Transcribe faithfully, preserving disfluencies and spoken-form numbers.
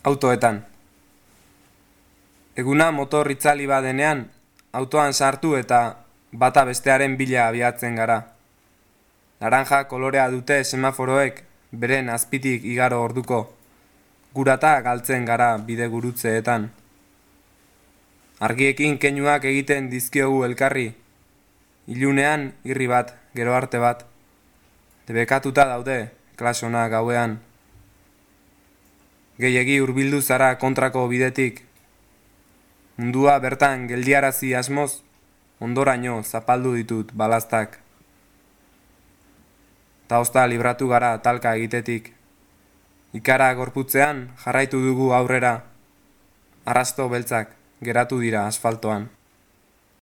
autoetan. Eguna motor itzali badenean, autoan sartu eta bata bestearen bila abiatzen gara. Naranja kolorea dute semaforoek beren azpitik igaro orduko, gurata galtzen gara bide gurutzeetan. Argiekin keinuak egiten dizkiogu elkarri, ilunean irri bat, gero arte bat, debekatuta daude klasona gauean. Gehiegi hurbildu zara kontrako bidetik, mundua bertan geldiarazi asmoz, ondoraino zapaldu ditut balaztak. Ta ozta libratu gara talka egitetik. Ikara gorputzean jarraitu dugu aurrera, arrasto beltzak geratu dira asfaltoan.